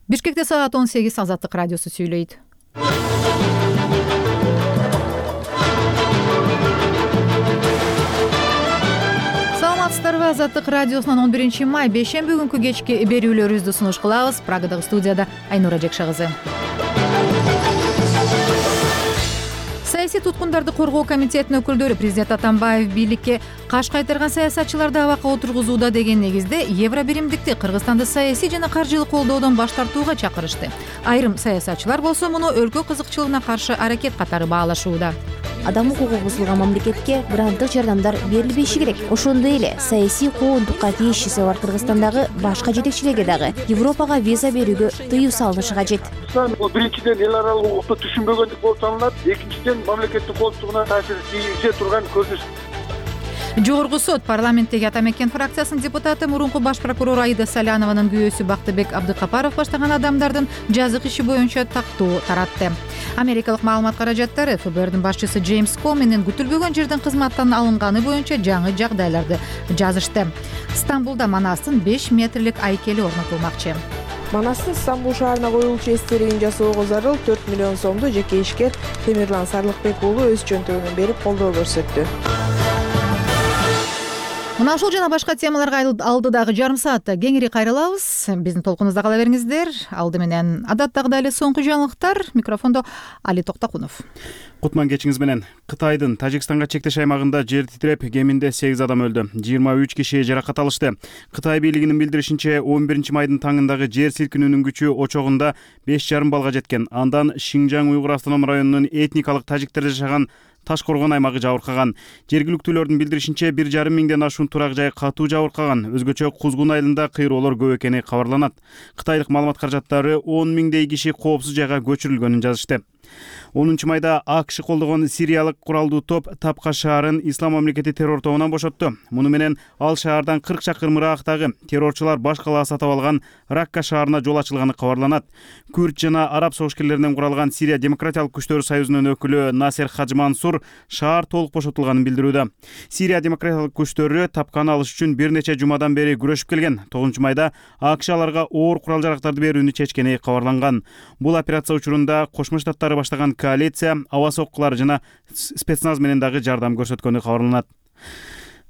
Бишкекте саат 18 Азаттык радиосу сүйлөйт. Саламатсыздарбы? Азаттык радиосунун 11 май бейшемби күнкү кечки берүүлөрүбүздү сунуш кылабыз. Прагадагы студияда Айнура Жекшагызы. Саясий туткундарды коргоо комитетинин өкүлдөрү президент Атамбаев бийликке каш кайтарган саясатчыларды абакка отургузууда деген негизде евро биримдикти Кыргызстанды саясий жана каржылык колдоодон баш тартууга чакырышты. Айрым саясатчылар болсо муну өлкө кызыкчылыгына каршы аракет катары баалашууда. Адам укугу бузулган мамлекетке гранттык жардамдар берилбеши керек. Ошондой эле саясий коондукка тиешеси бар Кыргызстандагы башка жетекчилерге дагы Европага виза берүүгө тыюу салынышы кажет. Бул биринчиден эл аралык укукту түшүнбөгөндүк болуп саналат. Экинчиден мамлекеттин коопсуздугуна таасир тийгизе турган көрүнүш. Жогорку сот парламенттеги Ата Мекен фракциясынын депутаты мурунку баш прокурор Аида Салянованын күйөөсү Бактыбек Абдыкапаров баштаган адамдардын жазык иши боюнча тактоо таратты. Америкалык маалымат каражаттары ФБРдин башчысы Джеймс Коменин күтүлбөгөн жерден кызматтан алынганы боюнча жаңы жагдайларды жазышты. Стамбулда Манастын 5 метрлик айкели орнотулмакчы. Манастын Стамбул шаарына коюлчу эстелигин жасоого зарыл 4 миллион сомду жеке ишкер Темирлан Сарлыкбек уулу өз чөнтөгүнөн берип колдоо көрсөттү. Мына ушул жана башка темаларга алдыдагы жарым саатта кеңири кайрылабыз. Биздин толкунубузда кала бериңиздер. Алды менен адаттагыдай эле соңку жаңылыктар. Микрофондо Али Токтакунов. Кутман кечиңиз менен. Кытайдын Тажикстанга чектеш аймагында жер титиреп, кеминде 8 адам өлдү. 23 киши жаракат алышты. Кытай бийлигинин билдиришинче, 11 майдын таңындагы жер силкинүүнүн күчү очогунда 5,5 балга жеткен. Андан Шинжаң Уйгур автоном районунун этникалык тажиктер жашаган Ташкоргон аймагы жабыркаган. Жергиликтүүлөрдүн билдиришинче 1,5 миңден ашуун турак жай катуу жабыркаган. Өзгөчө Кузгун айылында кыйроолор көп экени кабарланат. Кытайлык маалымат каражаттары 10 миңдей киши коопсуз жайга көчүрүлгөнүн жазышты. 10 майда АКШ колдогон сириялык куралдуу топ Тапка шаарын Ислам мамлекети террор тобунан бошотту. Муну менен ал шаардан 40 чакырым ыраактагы террорчулар баш калаа сатып алган Ракка шаарына жол ачылганы кабарланат. Күрд жана араб согушкерлеринен куралган Сирия демократиялык күчтөр союзунун өкүлү Насер Хаджмансур шаар толук бошотулганын билдирүүдө. Сирия демократиялык күчтөрү Тапканы алыш үчүн бир нече жумадан бери күрөшүп келген. 9 майда АКШ аларга оор курал жарактарды берүүнү чечкени кабарланган. Бул операция учурунда Кошмо Штаттары баштаган коалиция аба соккулары жана спецназ менен дагы жардам көрсөткөнү кабарланат.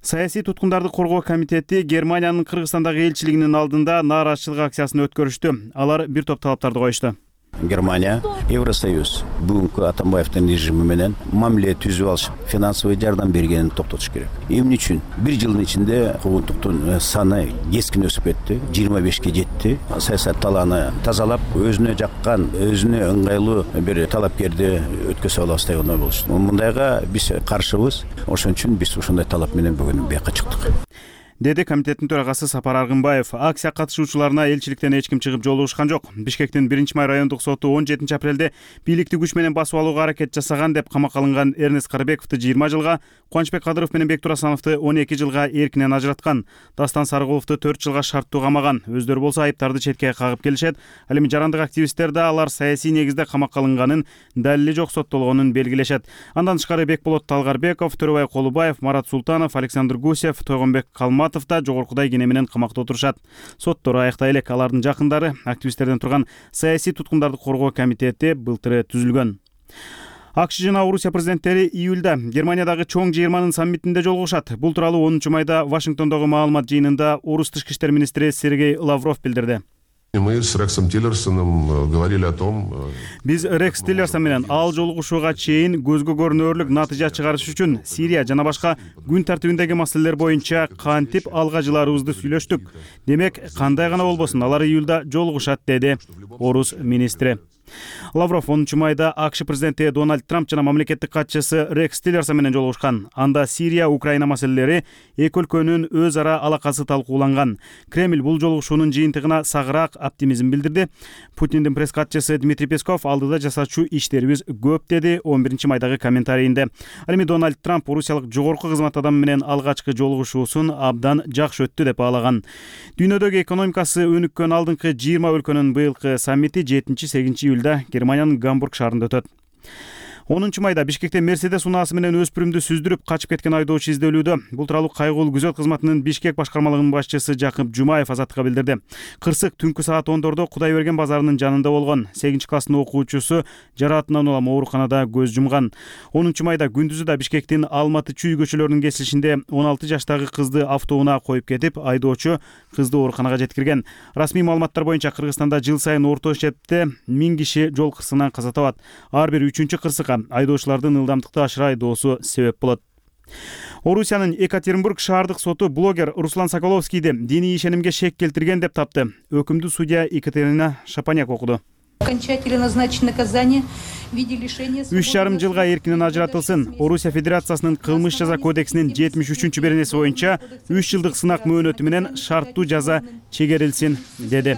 Саясий туткундарды коргоо комитети Германиянын Кыргызстандагы элчилигинин алдында нааразычылык акциясын өткөрүштү. Алар бир топ талаптарды коюшту. Германия, Евросоюз бүгүнкү Атамбаевдин режими менен мамиле түзүп алышып, финансовый жардам бергенин токтотуш керек. Эмне үчүн? Бир жылдын ичинде куугунтуктун саны кескин өсүп кетти, 25ке жетти. Саясат талааны тазалап, өзүнө жаккан, өзүнө ыңгайлуу бир талапкерди өткөзө алабыз деген ой болушту. Мындайга биз каршыбыз. Ошон үчүн биз ушундай талап менен бүгүн бияка чыктык. Деди комитеттин төрагасы Сапар Аргынбаев. Акция катышуучуларына элчиликтен эч ким чыгып жолугушкан жок. Бишкектин 1 май райондук соту 17 апрелде бийликти күч менен басып алууга аракет жасаган деп камакка алынган Эрнест Карыбековду 20 жылга, Кубанычбек Кадыров менен Бектур Асановду 12 жылга эркинен ажыраткан. Дастан Сарыгуловду 4 жылга шарттуу камаган. Өздөрү болсо айыптарды четке кагып келишет. Ал эми жарандык активисттер да алар саясий негизде камакка алынганын, далили жок соттолгонун белгилешет. Андан тышкары Бекболот Талгарбеков, Төрөбай Колубаев, Марат Султанов, Александр Гусев, Тойгонбек Калматов да жогоркудай кене менен камакта отурушат. Соттор аяктай элек. Алардын жакындары активисттерден турган саясий туткундарды коргоо комитети былтыры түзүлгөн. АКШ жана Орусия президенттери июлда Германиядагы чоң жыйырманын саммитинде жолугушат. Бул тууралуу 10 майда Вашингтондогу маалымат жыйынында Орус тышкы иштер министри Сергей Лавров билдирди. Мы с Рексом Тиллерсоном говорили о том. Биз Рекс Тиллерсон менен ал жолугушууга чейин көзгө көрүнөрлүк натыйжа чыгарыш үчүн Сирия жана башка күн тартибиндеги маселелер боюнча кантип алга жылаарыбызды сүйлөштүк. Демек, кандай гана болбосун, алар июлда жолугушат, деди Орус министри. Лавров 10 майда АКШ президенти Дональд Трамп жана мамлекеттик катчысы Рекс Тиллерсон менен жолугушкан. Анда Сирия, Украина маселелери эки өлкөнүн өз ара алакасы талкууланган. Кремль бул жолугушуунун жыйынтыгына сагыраак оптимизм билдирди. Путиндин пресс катчысы Дмитрий Песков алдыда жасачу иштерибиз көп, деди 11 майдагы комментарийинде. Ал эми Дональд Трамп орусиялык жогорку кызмат адамы менен алгачкы жолугушуусун абдан жакшы өттү деп баалаган. Дүйнөдөгү экономикасы өнүккөн алдыңкы 20 өлкөнүн быйылкы саммити 7-8 июлда Германиянын Гамбург шаарында өтөт. 10 майда Бишкекте Мерседес унаасы менен өспүрүмдү сүздүрүп качып кеткен айдоочу изделүүдө. Бул тууралуу кайгылуу күзөт кызматынын Бишкек башкармалыгынын башчысы Жакып Жумаев Азаттыкка билдирди. Кырсык түнкү саат 10дордо Кудайберген базарынын жанында болгон. 8-класстын окуучусу жараатынан улам ооруканада көз жумган. 10 майда күндүзү да Бишкектин Алматы Чүй көчөлөрүнүн кесилишинде 16 жаштагы кызды автоунаа коюп кетип, айдоочу кызды ооруканага жеткирген. Расмий маалыматтар боюнча Кыргызстанда жыл сайын орто эсепте 1000 киши жол кырсыгынан каза табат. Ар бир 3-чү кырсыкка айдоочулардын ылдамдыкты ашыра айдоосу себеп болот. Орусиянын Екатеринбург шаардык соту блогер Руслан Соколовскийди диний ишенимге шек келтирген деп тапты. Өкүмдү судья Екатерина Шапаняк окуду. Окончательно назначено наказание в виде лишения свободы. 3,5 жылга эркинен ажыратылсын. Орусия Федерациясынын кылмыш жаза кодексинин 73-беренеси боюнча 3 жылдык сынак мөөнөтү менен шарттуу жаза чегерилсин деди.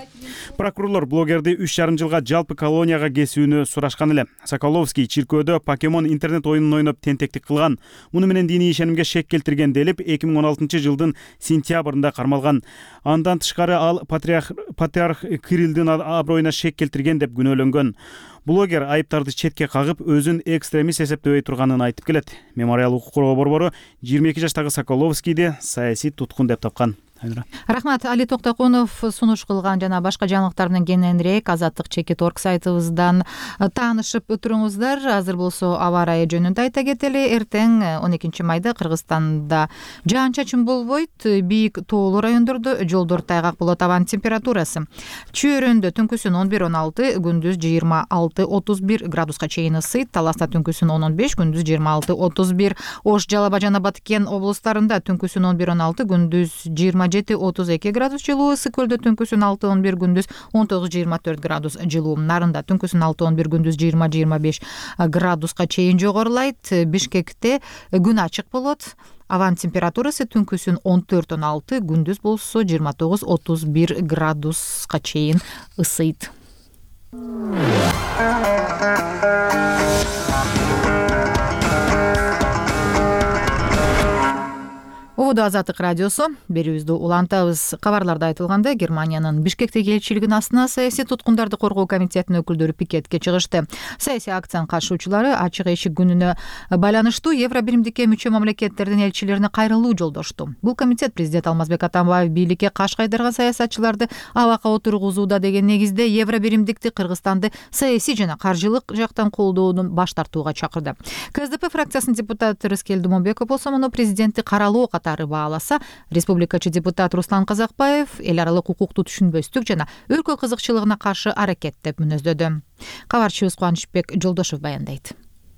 Прокурорлор блогерди 3,5 жылга жалпы колонияга кесүүнү сурашкан эле. Соколовский чиркөөдө покемон интернет оюнун ойноп тентектик кылган. Муну менен диний ишенимге шек келтирген делип 2016 жылдын сентябрында кармалган. Андан тышкары ал патриарх Кириллдин аброюна шек келтирген деп күнөөлөнгөн. Блогер айыптарды четке кагып, өзүн экстремист эсептебей турганын айтып келет. Мемориал укук коргоо борбору 22 жаштагы Соколовскийди саясий туткун деп тапкан. Рахмат. Али Токтокунов сунуш кылган жана башка жаңылыктар менен кененирээк Азаттык Чекит.org сайтыбыздан таанышып өтүрүңүздөр. Азыр болсо аба ырайы жөнүндө айта кетели. Эртең 12 майда Кыргызстанда жаан-чачын болбойт. Бийик тоолуу райондордо жолдор тайгак болот. Абанын температурасы Чөйрөндө түнкүсүн 11-16, күндүз 26-31 градуска чейин ысыйт. Таласта түнкүсүн 10-15, күндүз 26-31. Ош, Жалал Абад жана Баткен облустарында түнкүсүн 11-16, күндүз 27-32 градус жылуу. Ысык көлдө түнкүсүн 6-11, күндүз 19-24 градус жылуу. Нарында түнкүсүн 6-11, күндүз 20-25 градуска чейин жогорулайт. Бишкекте күн ачык болот. Абанын температурасы түнкүсүн 14-16, күндүз болсо 29-31 градуска чейин ысыйт. Ободо Азаттык радиосу. Берүүбүздү улантабыз. Кабарларда айтылгандай, Германиянын Бишкектеги элчилигинин астына саясий туткундарды коргоо комитетинин өкүлдөрү пикетке чыгышты. Саясий акциянын катышуучулары ачык эшик күнүнө байланыштуу Евро биримдикке мүчө мамлекеттердин элчилерине кайрылуу жолдошту. Бул комитет президент Алмазбек Атамбаев бийликке каш кайдырган саясатчыларды абакка отургузууда деген негизде Евро биримдикти Кыргызстанды саясий жана каржылык жактан колдоодон баш тартууга чакырды. КСДП фракциясынын депутаты Рыскел Думонбеков болсо муну президентти каралоо бааласа, республикачы депутат Руслан Казакбаев эл аралык укукту түшүнбөстүк жана өлкө кызыкчылыгына каршы аракет деп мүнөздөдү. Кабарчыбыз Кубанычбек Жолдошов баяндайт.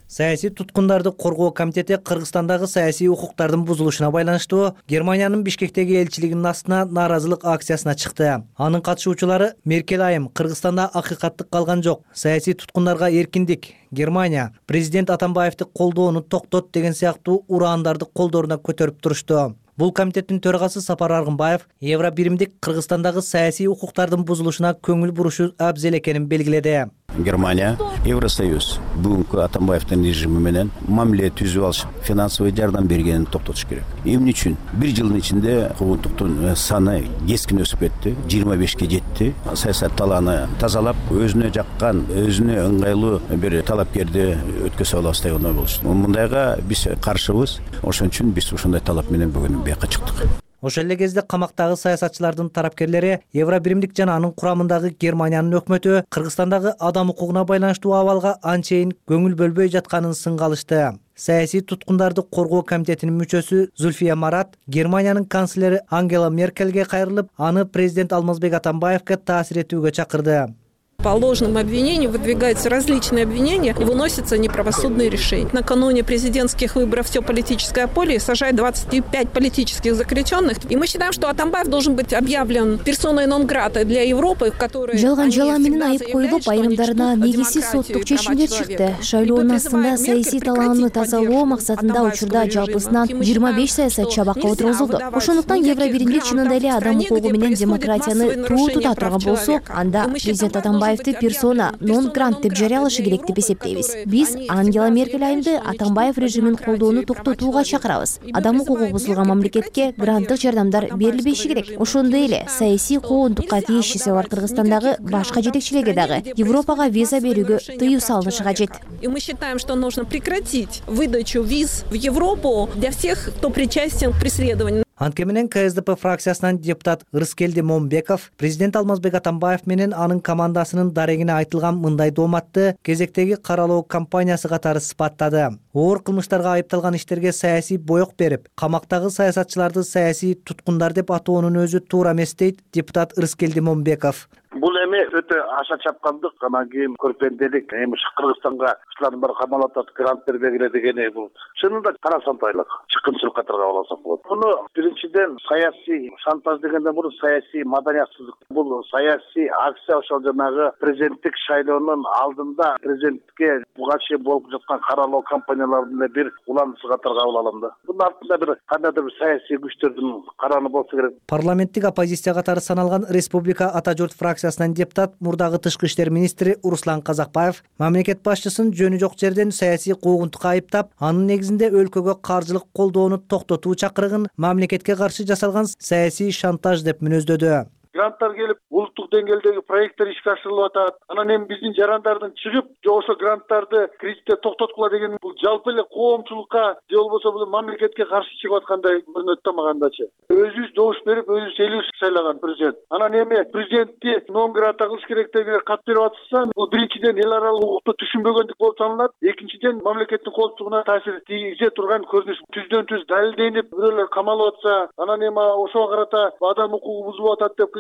Саясий туткундарды коргоо комитети Кыргызстандагы саясий укуктардын бузулушуна байланыштуу Германиянын Бишкектеги элчилигинин астына нааразылык акциясына чыкты. Анын катышуучулары Меркель айым Кыргызстанда акыйкаттык калган жок, саясий туткундарга эркиндик, Германия президент Атамбаевди колдоону токтот деген сыяктуу ураандарды колдоруна көтөрүп турушту. Бул комитеттин төрагасы Сапар Аргынбаев Евро биримдик Кыргызстандагы саясий укуктардын бузулушуна көңүл бурушу абзел экенин белгиледи. Германия, Евросоюз бүгүнкү Атамбаевдин режими менен мамиле түзүп алышып, финансовый жардам бергенин токтотуш керек. Эмне үчүн? Bir жылдын ичинде куугунтуктун саны кескин өсүп кетти, 25ке жетти. Саясат талааны тазалап, өзүнө жаккан, өзүнө ыңгайлуу бир талапкерди өткөзө алабыз деген ой болушту. Мындайга биз каршыбыз. Ошон үчүн биз ушундай талап менен бүгүн бияка чыктык. Ошол эле кезде камактагы саясатчылардын тарапкерлери Евро биримдик жана анын курамындагы Германиянын өкмөтү Кыргызстандагы адам укугуна байланыштуу абалга анчейин көңүл бөлбөй жатканын сынга алышты. Саясий туткундарды коргоо комитетинин мүчөсү Зульфия Марат Германиянын канцлери Ангела Меркельге кайрылып, аны президент Алмазбек Атамбаевге таасир этүүгө чакырды. По ложным обвинениям выдвигаются различные обвинения и выносятся неправосудные решения. Накануне президентских выборов все политическое поле сажает 25 политических заключенных. И мы считаем, что Атамбаев должен быть объявлен персоной нон-грата для Европы, в которой... Жалган жала менен айып коюлуп, айрымдарына негизсиз соттук чечимдер чыкты. Шайлоонун астында саясий талааны тазалоо максатында учурда жалпысынан 25 саясатчы абакка отургузулду. Ошондуктан Евро биримдик чынында эле адам укугу менен демократияны туу тута турган болсо, анда президент Атамбаев Атамбаевди персона нон грант деп жарыялашы керек деп эсептейбиз. Биз Ангела Меркель айымды Атамбаев режимин колдоону токтотууга чакырабыз. Адам укугу бузулган мамлекетке гранттык жардамдар берилбеши керек. Ошондой эле саясий куугунтукка тийишчиси бар Кыргызстандагы башка жетекчилерге дагы Европага виза берүүгө тыюу салынышы кажет. И мы считаем, что нужно прекратить выдачу виз в Европу для всех, кто причастен к преследованию. Анткени менен КСДП фракциясынан депутат Ырыскелди Момбеков президент Алмазбек Атамбаев менен анын командасынын дарегине айтылган мындай дооматты кезектеги каралоо кампаниясы катары сыпаттады. Оор кылмыштарга айыпталган иштерге саясий боек берип, камактагы саясатчыларды саясий туткундар деп атоонун өзү туура эмес дейт депутат Ырыскелди Момбеков. Бул эми өтө аша чапкандык, анан кийин көрпенделик, эми Кыргызстанга ушулардын баары камалып атат, грант бербегиле дегени бул чынында кара шантаждык, чыккынчылык катарга алсак болот. Муну биринчиден саясий шантаж дегенден мурун саясий маданиятсыздык. Бул саясий акция ошол жанагы президенттик шайлоонун алдында президентке буга чейин болуп жаткан каралоо кампанияларынын бир уландысы катарга кабыл алам да. Бунун артында бир кандайдыр бир саясий күчтөрдүн караны болсо керек. Парламенттик оппозиция катары саналган Республика Ата журт фракциясынан депутат мурдагы тышкы иштер министри Руслан Казакбаев мамлекет башчысын жөнү жок жерден саясий куугунтукка айыптап, анын негизинде өлкөгө каржылык колдоону токтотуу чакырыгын мамлекетке каршы жасалган саясий шантаж деп мүнөздөдү. Гранттар келип, улуттук деңгээлдеги проекттер ишке ашырылып атат. Анан эми биздин жарандардын чыгып, же ошо гранттарды кредитте токтоткула деген бул жалпы эле коомчулукка же болбосо бул мамлекетке каршы чыгып аткандай көрүнөт да магандачы. Өзүбүз добуш берип, өзүбүз элибиз сайлаган президент. Анан эми президентти нон грата кылыш керек деген кат берип атышса, бул биринчиден эл аралык укукту түшүнбөгөндүк болуп саналат. Экинчиден мамлекеттин коопсуздугуна таасир тийгизе турган көрүнүш. Түздөн түз далилденип, бирөөлөр камалып атса, анан эми ошого карата адам укугу бузулуп атат деп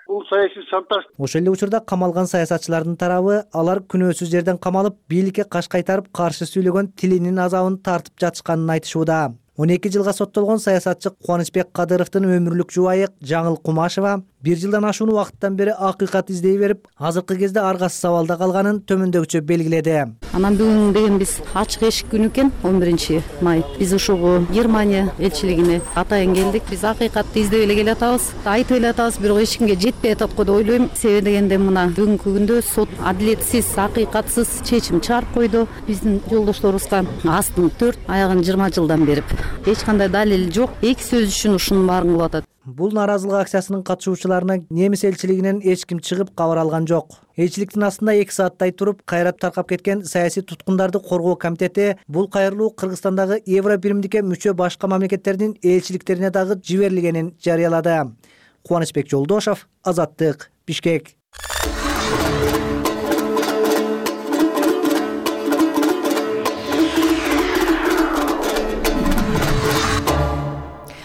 бул саясий шантаж. Ошол эле учурда камалган саясатчылардын тарабы алар күнөөсүз жерден камалып, бийликке каш кайтарып, каршы сүйлөгөн тилинин азабын тартып жатышканын айтышууда. 12 жылга соттолгон саясатчы Кубанычбек Кадыровдун өмүрлүк жубайы Жаңыл Кумашева 1 жылдан ашуун убакыттан бери акыйкат издей берип, азыркы кезде аргасыз абалда калганын төмөндөгүчө белгиледи. Анан бүгүн деген биз ачык эшик күнү экен, 11 май. Биз ушугу Германия элчилигине атайын келдик. Биз акыйкатты издеп эле келатабыз, айтып эле атабыз, бирок эч кимге жетпей атат го деп ойлойм. Себеби дегенде мына бүгүнкү күндө сот адилетсиз, акыйкатсыз чечим чыгарып койду. Биздин жолдошторубузга астын 4, аягын 20 жылдан берип, эч кандай далил жок. Эки сөз үчүн ушунун баарын кылып атат. Бул нааразылык акциясынын катышуучуларына немис элчилигинен эч ким чыгып кабар алган жок. Элчиликтин астында 2 сааттай туруп, кайрап таркап кеткен саясий туткундарды коргоо комитети бул кайрылуу Кыргызстандагы Евро биримдикке мүчө башка мамлекеттердин элчиликтерине дагы жиберилгенин жарыялады. Кубанычбек Жолдошов, Азаттык, Бишкек.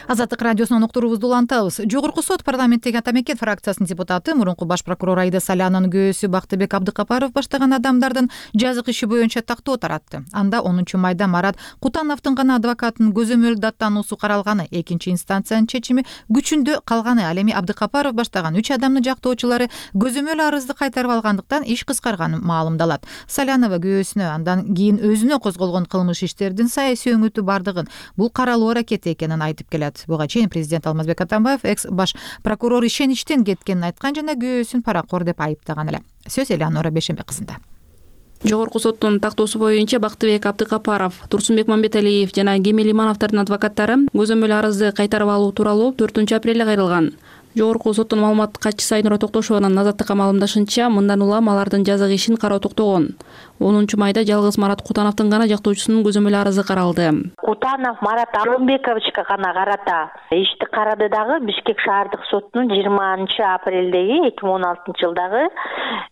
Азаттык радиосунун уктуруубузду улантабыз. Жогорку сот парламенттеги Ата Мекен фракциясынын депутаты, мурунку баш прокурор Аида Салянанын күйөөсү Бактыбек Абдыкапаров баштаган адамдардын жазык иши боюнча тактоо таратты. Анда 10 майда Марат Кутановдун гана адвокатынын көзөмөл даттануусу каралганы, экинчи инстанциянын чечими күчүндө калганы. Ал эми Абдыкапаров баштаган 3 адамдын жактоочулары көзөмөл арызды кайтарып алгандыктан иш кыскарганын маалымдалат. Салянова күйөөсүнө, андан кийин өзүнө козголгон кылмыш иштердин саясий өңүтү бардыгын, бул каралуу аракети экенин айтып келет. Буга чейин президент Алмазбек Атамбаев экс баш прокурор ишеничтен кеткенин айткан жана күйөөсүн паракор деп айыптаган эле. Сөз Элеонора Бешембек кызында. Жогорку соттун тактоосу боюнча Бактыбек Абдыкапаров, Турсунбек Мамбеталиев жана Кемел Имановдордун адвокаттары көзөмөл арызды кайтарып алуу тууралуу 4 апрелде кайрылган. Жогорку соттун маалымат катчысы Айнура Токтошованын Азаттыкка маалымдашынча, мындан улам алардын жазык ишин кароо токтогон. 10 майда жалгыз Марат Кутановдун гана жактоочусунун көзөмөл арызы каралды. Кутанов Марат Алымбековичке гана карата ишти карады дагы Бишкек шаардык сотунун 20 апрелдеги 2016 жылдагы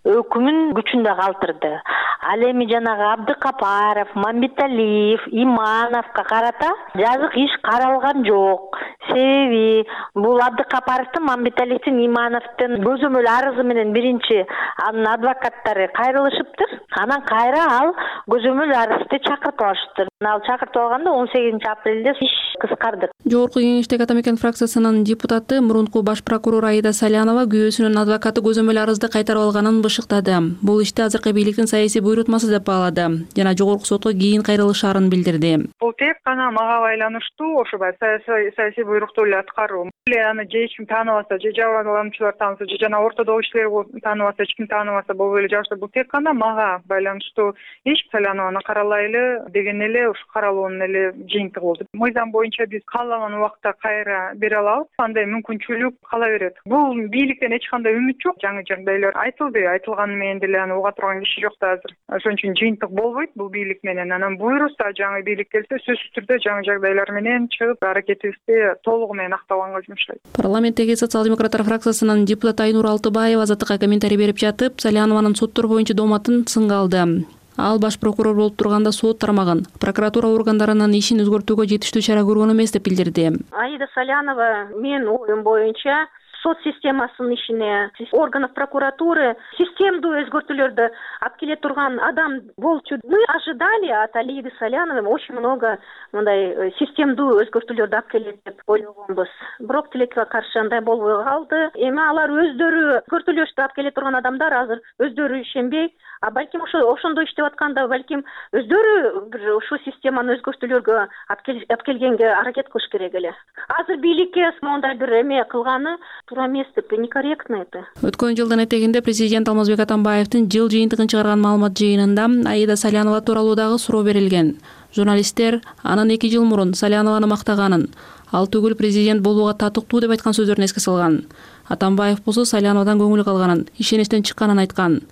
өкүмүн күчүндө калтырды. Ал эми жанагы Абдыкапаров, Мамбеталиев, Имановго карата жазык иш каралган жок. Себеби бул Абдыкапаровдун, Мамбеталиевдин, Имановдун көзөмөл арызы менен биринчи анын адвокаттары кайрылышыптыр. Анан кайра ал көзөмөл арызды чакыртып алышты. Ал чакыртып алганда 18 апрелде иш кыскарды. Жогорку Кеңештеги Атамекен фракциясынын депутаты мурунку баш прокурор Аида Салянова күйөөсүнүн адвокаты көзөмөл арызды кайтарып алганын бышыктады. Бул ишти азыркы бийликтин саясий буйрутмасы деп баалады жана жогорку сотко кийин кайрылышаарын билдирди. Бул тек гана мага байланыштуу, ошо саясий буйрукту эле аткаруу. Аны же эч ким тааныбаса, же жабырлануучулар тааныбаса, же жана ортодогу иштер тааныбаса, эч ким тааныбаса болбой эле жабышса, бул тек гана мага байланыштуу иш. Салянованы каралайлы деген эле ушу каралуунун эле жыйынтыгы болду. Мыйзам боюнча биз каалаган убакта кайра бере алабыз. Андай мүмкүнчүлүк кала берет. Бул бийликтен эч кандай үмүт жок. Жаңы жагдайлар айтылды. Айтылганы менен деле аны уга турган киши жок да азыр. Ошон үчүн жыйынтык болбойт бул бийлик менен. Анан буйруса жаңы бийлик келсе, сөзсүз түрдө жаңы жагдайлар менен чыгып аракетибизди толугу менен актабанга жумшайт. Парламенттеги социал-демократтар фракциясынын депутаты Айнур Алтыбаева Азаттыкка комментарий берип жатып, Салянованын соттор боюнча дооматын сынга алды. Ал баш прокурор болуп турганда сот тармагын, прокуратура органдарынын ишин өзгөртүүгө жетиштүү чара көргөн эмес деп билдирди. Аида Салянова менин оюм боюнча сот системасынын ишине, органов прокуратуры системдүү өзгөртүүлөрдү алып келе турган адам болчу. Мы ожидали от Аиды Саляновой очень много мындай системдүү өзгөртүүлөрдү алып келет деп ойлогонбуз. Бирок тилекке каршы андай болбой калды. Эми алар өздөрү өзгөртүүлөрдү алып келе турган адамдар азыр өздөрү ишенбей, балким ошондо иштеп атканда балким өздөрү бир ушул системаны өзгөртүүлөргө алып келгенге аракет кылыш керек эле. Азыр бийликке мондай бир эме кылганы туура эмес деп, некорректно это. Өткөн жылдын этегинде президент Алмазбек Атамбаевдин жыл жыйынтыгын чыгарган маалымат жыйынында Аида Салянова тууралуу дагы суроо берилген. Журналисттер анын 2 жыл мурун Салянованы мактаганын, ал түгүл президент болууга татыктуу деп айткан сөздөрүн эске салган. Атамбаев болсо Саляновадан көңүл калганын, ишеничтен чыкканын айткан.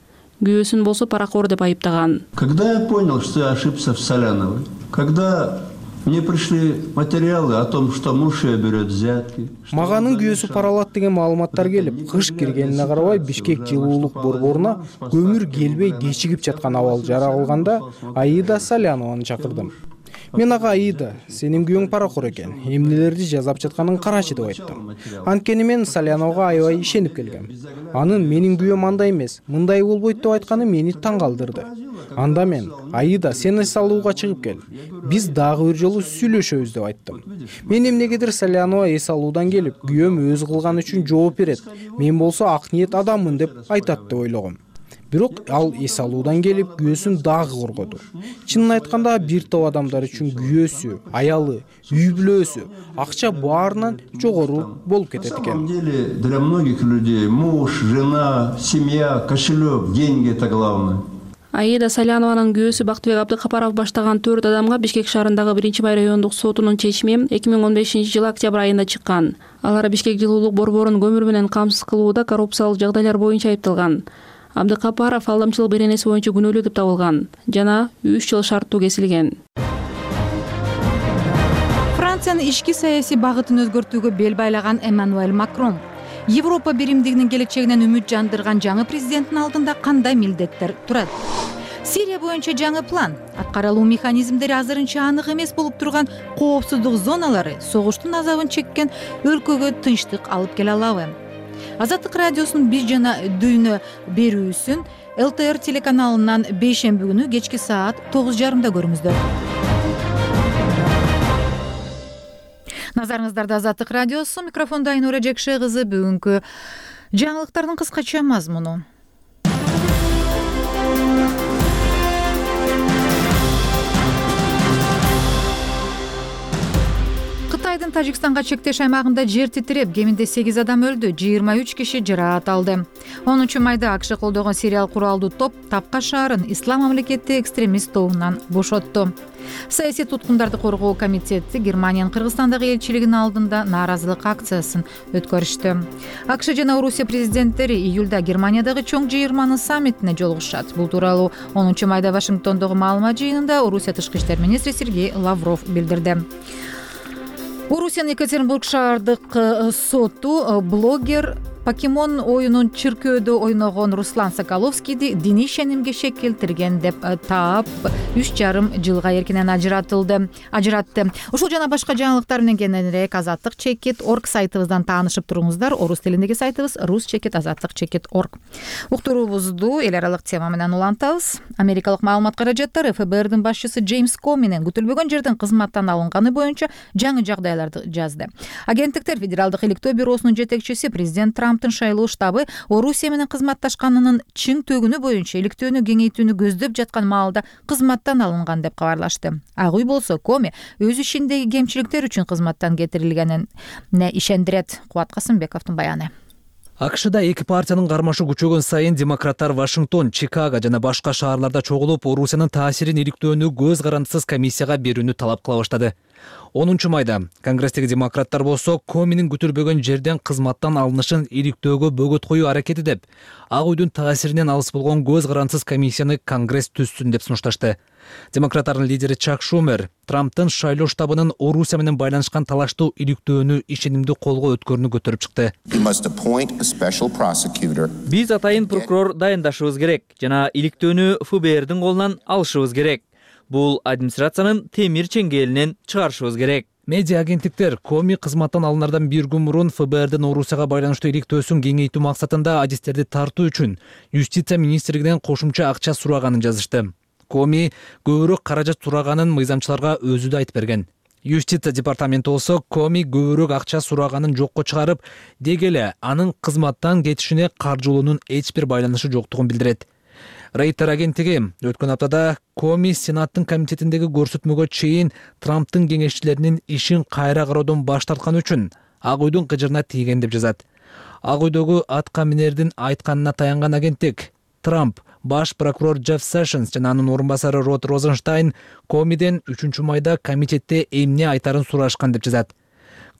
Күйөөсүн болсо паракор деп айыптаган. Когда я понял, что я ошибся в Саляновой, когда мне пришли материалы о том, что муж ее берет взятки. Маганын күйөөсү паралат деген маалыматтар келип, кыш киргенине карабай Бишкек жылуулук борборуна көмүр келбей кечигип жаткан абал жаралганда Аида Салянованы чакырдым. Мен ага Аида, сенин күйөөң паракор экен, эмнелерди жазап жатканын карачы деп айттым. Анткени мен Саляновага аябай ишенип келгем. Анын менин күйөөм андай эмес, мындай болбойт деп айтканы мени таң калтырды. Анда мен Аида, сен эс алууга чыгып кел. Биз дагы бир жолу сүйлөшөбүз деп айттым. Мен эмнегедир Салянова эс алуудан келип, күйөөм өз кылганы үчүн жооп берет. Мен болсо ак ниет адаммын деп айтат деп ойлогом. Бирок ал эс алуудан келип күйөөсүн дагы коргоду. Чынын айтканда бир топ адамдар үчүн күйөөсү, аялы, үй бүлөсү, акча баарынан жогору болуп кетет экен. Для многих людей муж, жена, семья, кошелек, деньги это главное. Аида Салянованын күйөөсү Бактыбек Абдыкапаров баштаган 4 адамга Бишкек шаарындагы 1-бай райондук сотунун чечими 2015-жылы октябрь айында чыккан. Алар Бишкек жылуулук борборун көмүр менен камсыз кылууда коррупциялык жагдайлар боюнча айыпталган. Абдыкапаров алдамчылык беренеси боюнча күнөөлүү деп табылган жана 3 жыл шарттуу кесилген. Франциянын ички саясий багытын өзгөртүүгө бел байлаган Эммануэль Макрон Европа биримдигинин келечегинен үмүт жандырган жаңы президенттин алдында кандай милдеттер турат? Сирия боюнча жаңы план, аткарылуу механизмдери азырынча анык эмес болуп турган коопсуздук зоналары согуштун азабын чеккен өлкөгө тынчтык алып келе алабы? Азаттык радиосунун биз жана дүйнө берүүсүн ЛТР телеканалынан бейшемби күнү кечки саат 9:30 көрүңүздөр. Назарыңыздарда Азаттык радиосу, микрофондо Айнура Жекше кызы. Бүгүнкү жаңылыктардын кыскача мазмуну. Кытайдын Тажикстанга чектеш аймагында жер титиреп, кеминде 8 адам өлдү, 23 киши жаракат алды. 10 майда АКШ колдогон сириялык куралдуу топ Тапка шаарын Ислам мамлекети экстремист тобунан бошотту. Саясий туткундарды коргоо комитети Германиянын Кыргызстандагы элчилигинин алдында нааразылык акциясын өткөрүштү. АКШ жана Орусия президенттери июлда Германиядагы чоң жыйырманын саммитине жолугушат. Бул тууралуу 10 майда Вашингтондогу маалымат жыйынында Орусия тышкы иштер министри Сергей Лавров билдирди. Орусиянын Екатеринбург шаардык соту блогер покемон оюнун чиркөөдө ойногон Руслан Соколовскийди диний ишенимге шек келтирген деп таап 3,5 жылга эркинен ажыратты. Ушул жана башка жаңылыктар менен кененирээк azatlyk.org сайтыбыздан таанышып туруңуздар. Орус тилиндеги сайтыбыз rus.azatlyk.org. Уктуруубузду эл аралык тема менен улантабыз. Америкалык маалымат каражаттары ФБРдин башчысы Джеймс Коминин күтүлбөгөн жерден кызматтан алынганы боюнча жаңы жагдайларды жазды. Агенттиктер Федералдык иликтөө бюросунун жетекчиси президент Трамптын шайлоо штабы Орусия менен кызматташканынын чың төгүнү боюнча иликтөөнү кеңейтүүнү көздөп жаткан маалда кызматтан алынган деп кабарлашты. Ак үй болсо Коми өз ишиндеги кемчиликтер үчүн кызматтан кетирилгенине ишендирет. Кубат Касымбековдун баяны. АКШда эки партиянын кармашы күчөгөн сайын демократтар Вашингтон, Чикаго жана башка шаарларда чогулуп, Орусиянын таасирин иликтөөнү көз карандысыз комиссияга берүүнү талап кыла баштады. 10 майда Конгресстеги демократтар болсо Коминин күтүлбөгөн жерден кызматтан алынышын иликтөөгө бөгөт коюу аракети деп, Ак үйдүн таасиринен алыс болгон көз карандысыз комиссияны Конгресс түзсүн деп сунушташты. Демократтардын лидери Чак Шумер Трамптын шайлоо штабынын Орусия менен байланышкан талаштуу иликтөөнү ишенимдүү колго өткөрүүнү көтөрүп чыкты. Биз атайын прокурор дайындашыбыз керек жана иликтөөнү ФБРдин колунан алышыбыз керек. Бул администрациянын темир чеңгелинен чыгарышыбыз керек. Медиа агенттиктер Коми кызматтан алынардан бир күн мурун ФБРдин Орусияга байланыштуу иликтөөсүн кеңейтүү максатында адистерди тартуу үчүн Юстиция министрлигинен кошумча акча сураганын жазышты. Коми көбүрөөк каражат сураганын мыйзамчыларга өзү да айтып берген. Юстиция департаменти болсо Коми көбүрөөк акча сураганын жокко чыгарып, деги эле анын кызматтан кетишине каржылоонун эч бир байланышы жоктугун билдирет. Рейтер агенттиги өткөн аптада Коми Сенаттын комитетиндеги көрсөтмөгө чейин Трамптын кеңешчилеринин ишин кайра кароодон баш тартканы үчүн Ак үйдүн кыжырына тийген деп жазат. Ак үйдөгү атка минердин айтканына таянган агенттик Трамп, баш прокурор Джефф Сэшнс жана анын орун басары Род Розенштайн Комиден 3 майда комитетте эмне айтарын сурашкан деп жазат.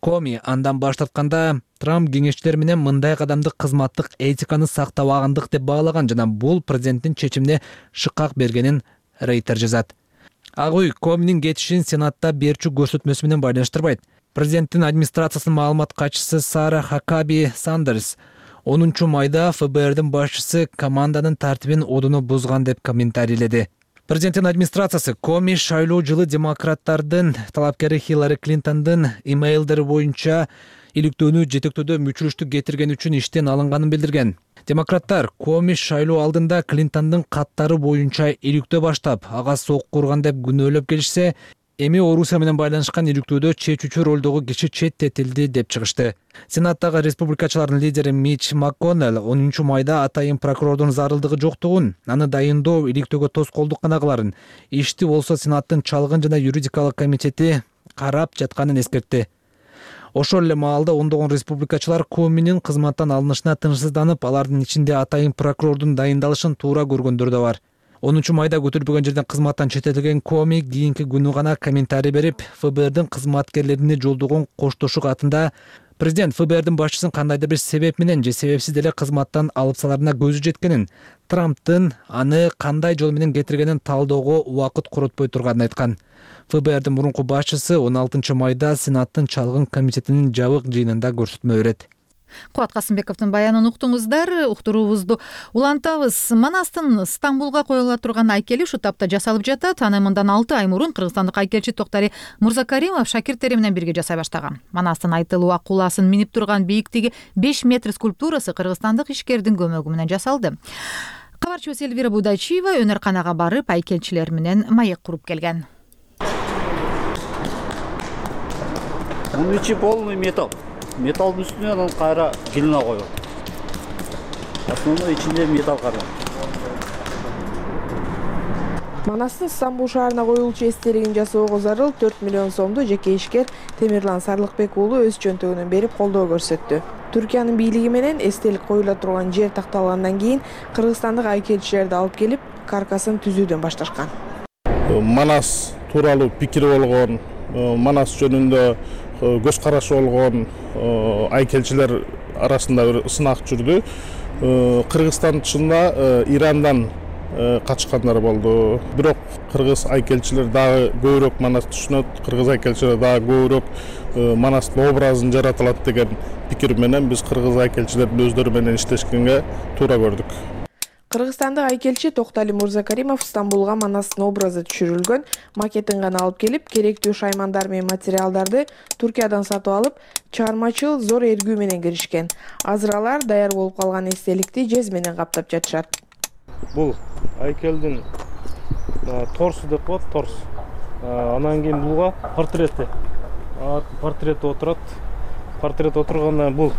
Коми андан баш тартканда Трамп кеңешчилер менен мындай кадамды кызматтык этиканы сактабагандык деп баалаган жана бул президенттин чечимине шыкак бергенин Рейтер жазат. Ак үй Коминин кетишин Сенатта берчү көрсөтмөсү менен байланыштырбайт. Президенттин администрациясынын маалымат катчысы Сара Хакаби Сандерс 10 майда ФБРдин башчысы команданын тартибин одоно бузган деп комментарийледи. Президенттин администрациясы Коми шайлоо жылы демократтардын талапкери Хиллари Клинтондун имейлдери боюнча иликтөөнү жетектөөдө мүчүлүштүк кетирген үчүн иштен алынганын билдирген. Демократтар Коми шайлоо алдында Клинтондун каттары боюнча иликтөө баштап, ага сокку урган деп күнөөлөп келишсе, эми Орусия менен байланышкан иликтөөдө чечүүчү ролдогу киши четтетилди деп чыгышты. Сенаттагы республикачылардын лидери Митч МакКоннелл 10 майда атайын прокурордун зарылдыгы жоктугун, аны дайындоо иликтөөгө тоскоолдук гана кыларын, ишти болсо Сенаттын чалгын жана юридикалык комитети карап жатканын эскертти. Ошол эле маалда ондогон республикачылар Коминин кызматтан алынышына тынчсызданып, алардын ичинде атайын прокурордун дайындалышын туура көргөндөр да бар. 10 майда көтөрүлбөгөн жерден кызматтан четтетилген Коми кийинки күнү гана комментарий берип, ФБРдин кызматкерлерине жолдогон коштошуу катында президент ФБРдин башчысын кандайдыр бир себеп менен же себепсиз деле кызматтан алып саларына көзү жеткенин, Трамптын аны кандай жол менен кетиргенин талоого убакыт коротпой турганын айткан. ФБРдин мурунку башчысы 16 майда Сенаттын чалгын комитетинин жабык жыйынында көрсөтмө берет. Кубат Касымбековдун баянын уктуңуздар. Уктуруубузду улантабыз. Манастын Стамбулга коюла турган айкели ушу тапта жасалып жатат. Аны мындан 6 ай мурун кыргызстандык айкелчи Токтари Мурзакаримов шакирттери менен бирге жасай баштаган. Манастын айтылуу акуласын минип турган бийиктиги 5 метр скульптурасы кыргызстандык ишкердин көмөгү менен жасалды. Кабарчыбыз Элвира Будайчиева өнөр-канага барып айкелчилер менен маек куруп келген. Бунун ичи полный металл. Металдын үстүнө анан кайра глина коюп. Основной ичинде металл кара. Манастын Стамбул шаарына коюлчу эстелигин жасоого зарыл 4 миллион сомду жеке ишкер Темирлан Сарлыкбек уулу өз чөнтөгүнөн берип колдоо көрсөттү. Түркиянын бийлиги менен эстелик коюла турган жер такталгандан кийин кыргызстандык айкелчилерди алып келип, каркасын түзүүдөн башташкан. Манас тууралуу пикири болгон, Манас жөнүндө көз карашы болгон айкелчилер арасында бир сынак жүрдү. Кыргызстан чынында Ирандан катышкандар болду. Бирок кыргыз айкелчилер дагы көбүрөөк Манасты түшүнөт, кыргыз айкелчилер дагы көбүрөөк Манастын образын жаратылат деген пикир менен биз кыргыз айкелчилердин өздөрү менен иштешкенге туура көрдүк. Кыргызстандык айкелчи Токтали Мурзакаримов Стамбулга Манастын образы түшүрүлгөн макетин гана алып келип, керектүү шаймандар менен материалдарды Туркиядан сатып алып, чыгармачыл зор эргүү менен киришкен. Азыр алар даяр болуп калган эстеликти жез менен каптап жатышат. Бул айкелдин торсу деп коет, торс. Анан кийин булга портрети отурат. Портрет отургандан бул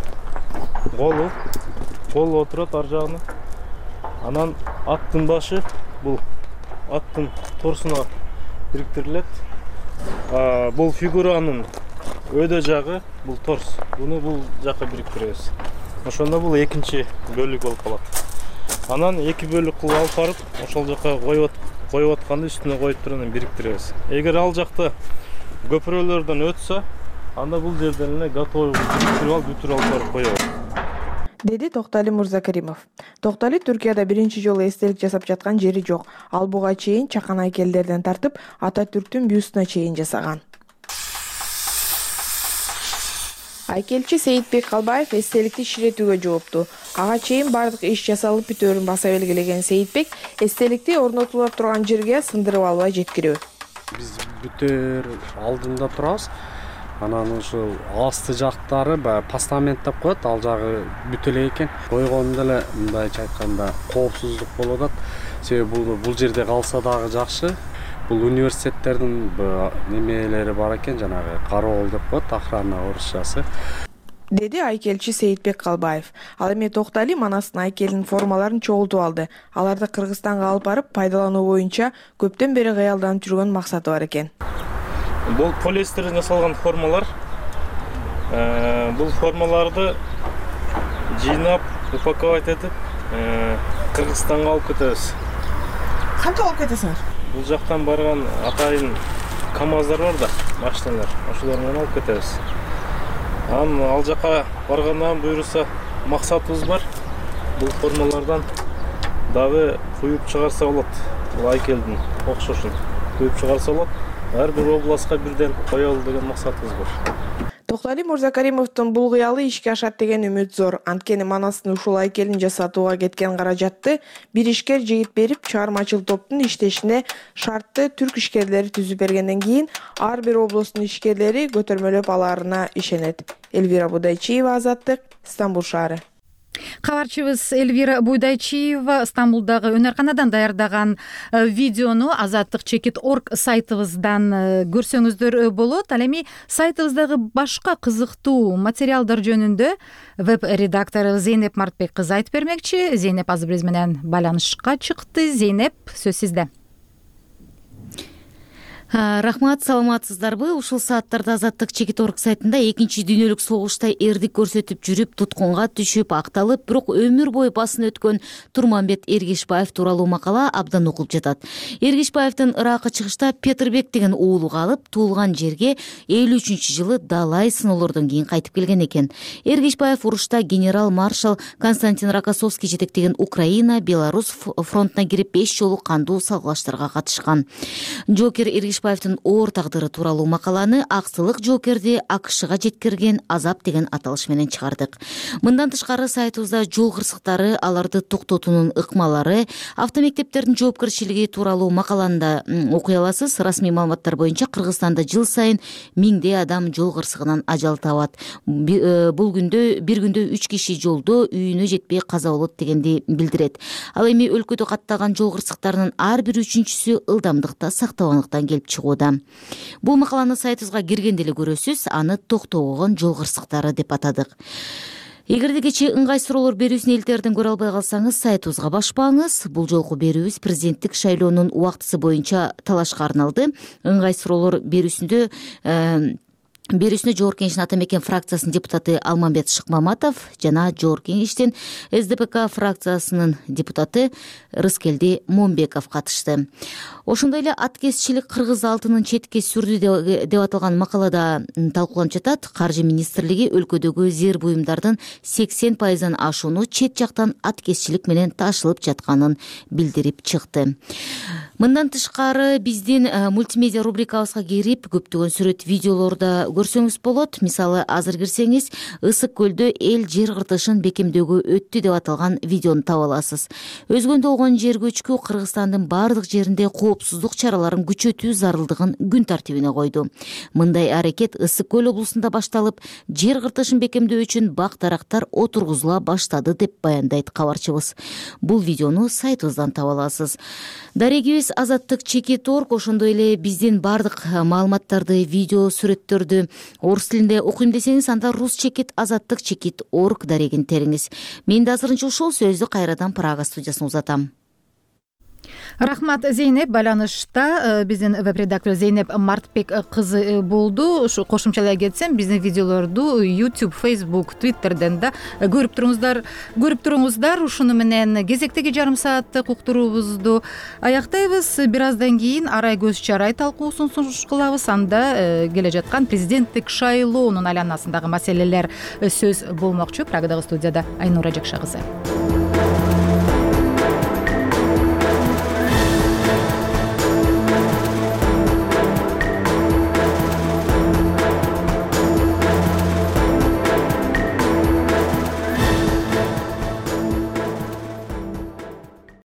колу отурат ар жагына. Анан аттын башы бул аттын торсуна бириктирилет. Бул фигуранын өйдө жагы бул торс. Буну бул жакка бириктиребиз. Ошондо бул экинчи бөлүк болуп калат. Анан эки бөлүк кылып алып барып, ошол жакка коюп атканды үстүнө коюп туруп анан бириктиребиз. Эгер ал жакта көпүрөлөрдөн өтсө, анда бул жерден эле готовый бүтүрүп алып барып коебуз. Деди Токтали Мурзакаримов. Токтали Түркияда биринчи жолу эстелик жасап жаткан жери жок. Ал буга чейин чакан айкелдерден тартып, Ататүрктүн бюстуна чейин жасаган. Айкелчи Сейитбек Калбаев эстеликти ширетүүгө жоопту. Ага чейин бардык иш жасалып бүтөөрүн баса белгилеген Сейитбек эстеликти орнотулуп турган жерге сындырып албай жеткирүү. Биз бүтөөр алдында турабыз. Анан ушул асты жактары постамент деп коет, ал жагы бүтө элек экен. Койгондо эле мындайча айтканда коопсуздук болуп атат. Себеби бул жерде калса дагы жакшы. Бул университеттердин немелери бар экен, жанагы кароол деп коет, охрана орусчасы. Деди айкелчи Сейитбек Калбаев. Ал эми Токтали Манастын айкелинин формаларын чогултуп алды. Аларды Кыргызстанга алып барып пайдалануу боюнча көптөн бери кыялданып жүргөн максаты бар экен. Бул полиэстерден жасалган формалар. Бул формаларды жыйнап, упаковать этип, Кыргызстанга алып кетебиз. Кантип алып кетесиңер? Бул жактан барган атайын КАМАЗдар бар да, машиналар. Ошолор менен алып кетебиз. Ал жака баргандан буйруса максатыбыз бар. Бул формалардан дагы куюп чыгарса болот. Бул айкелдин окшошун куюп чыгарса болот. Ар бир областка бирден коелу деген максатыбыз бар. Токтали Мурзакаримовдун бул кыялы ишке ашат деген үмүт зор. Анткени Манастын ушул айкелин жасатууга кеткен каражатты бир ишкер жигит берип, чыгармачыл топтун иштешине шартты түрк ишкерлери түзүп бергенден кийин ар бир областтын ишкерлери көтөрмөлөп алаарына ишенет. Элвира Будайчиева, Азаттык, Стамбул шаары. Кабарчыбыз Элвира Буйдайчиева Стамбулдагы өнөрканадан даярдаган видеону azattik.org сайтыбыздан көрсөңүздөр болот. Ал эми сайтыбыздагы башка кызыктуу материалдар жөнүндө веб-редактору Зейнеп Мартбек кызы айтып бермекчи. Зейнеп азыр биз менен байланышка чыкты. Зейнеп, сөз сизде. Рахмат, саламатсыздарбы? Ушул сааттарда azattik.org сайтында экинчи дүйнөлүк согушта эрдик көрсөтүп жүрүп, туткунга түшүп, акталып, бирок өмүр бою басын өткөн Турманбет Эргешбаев тууралуу макала абдан окулуп жатат. Эргешбаевдин Ыракка чыгышта Петирбек деген уулу калып, туулган жерге 53-жылы далай сыноолордон кийин кайтып келген экен. Эргешбаев урушта генерал-маршал Константин Рокоссовский жетектеген Украина, Беларусь фронтуна кирип 5 жолу кандуу салгылаштарга катышкан. Жокер Эргешбаевдин оор тагдыры тууралуу макаланы Аксылык жоокерди АКШга жеткирген азап деген аталыш менен чыгардык. Мындан тышкары сайтыбызда жол кырсыктары, аларды токтотуунун ыкмалары, автомектептердин жоопкерчилиги тууралуу макаланы да окуй аласыз. Расмий маалыматтар боюнча Кыргызстанда жыл сайын миңдей адам жол кырсыгынан ажал табат. Бул күндө бир күндө 3 киши жолдо үйүнө жетпей каза болот дегенди билдирет. Ал эми өлкөдө катталган жол кырсыктарынын ар бир үчүнчүсү ылдамдыкта сактабандыктан келип чыгууда. Бул макаланы сайтыбызга киргенде эле көрөсүз. Аны токтобогон жол кырсыктары деп атадык. Эгерде кечээ ыңгай суроолор берүүсүн элтерден көрө албай калсаңыз, сайтыбызга баспаңыз. Бул жолку берүүбүз президенттик шайлоонун убактысы боюнча талашка арналды. Ыңгай суроолор берүүсүндө Бирүүсүнө Жогорку Кеңештин Ата Мекен фракциясынын депутаты Алмамбет Шыкмаматов жана Жогорку Кеңештин СДПК фракциясынын депутаты Рыскелди Момбеков катышты. Ошондой эле аткезчилик кыргыз алтынын четке сүрдү деп аталган макалада талкууланып жатат. Каржы министрлиги өлкөдөгү зер буюмдардын 80% ашууну чет жактан аткезчилик менен ташылып жатканын билдирип чыкты. Мындан тышкары биздин мультимедиа рубрикабызга кирип көптөгөн сүрөт видеолорду көрсөңүз болот. Мисалы, азыр кирсеңиз Ысык көлдө эл жер кыртышын бекемдөөгө өттү деп аталган видеону таба аласыз. Өзгөндө болгон жер көчкү Кыргызстандын бардык жеринде коопсуздук чараларын күчөтүү зарылдыгын күн тартибине койду. Мындай аракет Ысык көл облусунда башталып, жер кыртышын бекемдөө үчүн бак-дарактар отургузула баштады деп баяндайт кабарчыбыз. Бул видеону сайтыбыздан таба аласыз. Дарегибиз Азаттык.чекит.орг ошондой эле биздин бардык маалыматтарды, видео, сүрөттөрдү орус тилинде окуйм десеңиз, анда Ruschekit.Azаттык.Chekit.org дарегин териңиз. Мен да азырынча ушул сөздү кайрадан Прага студиясына узатам. Рахмат, Зейнеп. Байланышта биздин веб-редактор Зейнеп Мартбек кызы болду. Ушу кошумчалай кетсем, биздин видеолорду YouTube, Facebook, Twitterден да көрүп туруңуздар. Ушуну менен кезектеги жарым сааттык уктуруубузду аяктайбыз. Бир аздан кийин арай көз чарай талкуусун сунуш кылабыз. Анда келе жаткан президенттик шайлоонун айланасындагы маселелер сөз болмокчу. Прагадагы студияда Айнура Жакша кызы.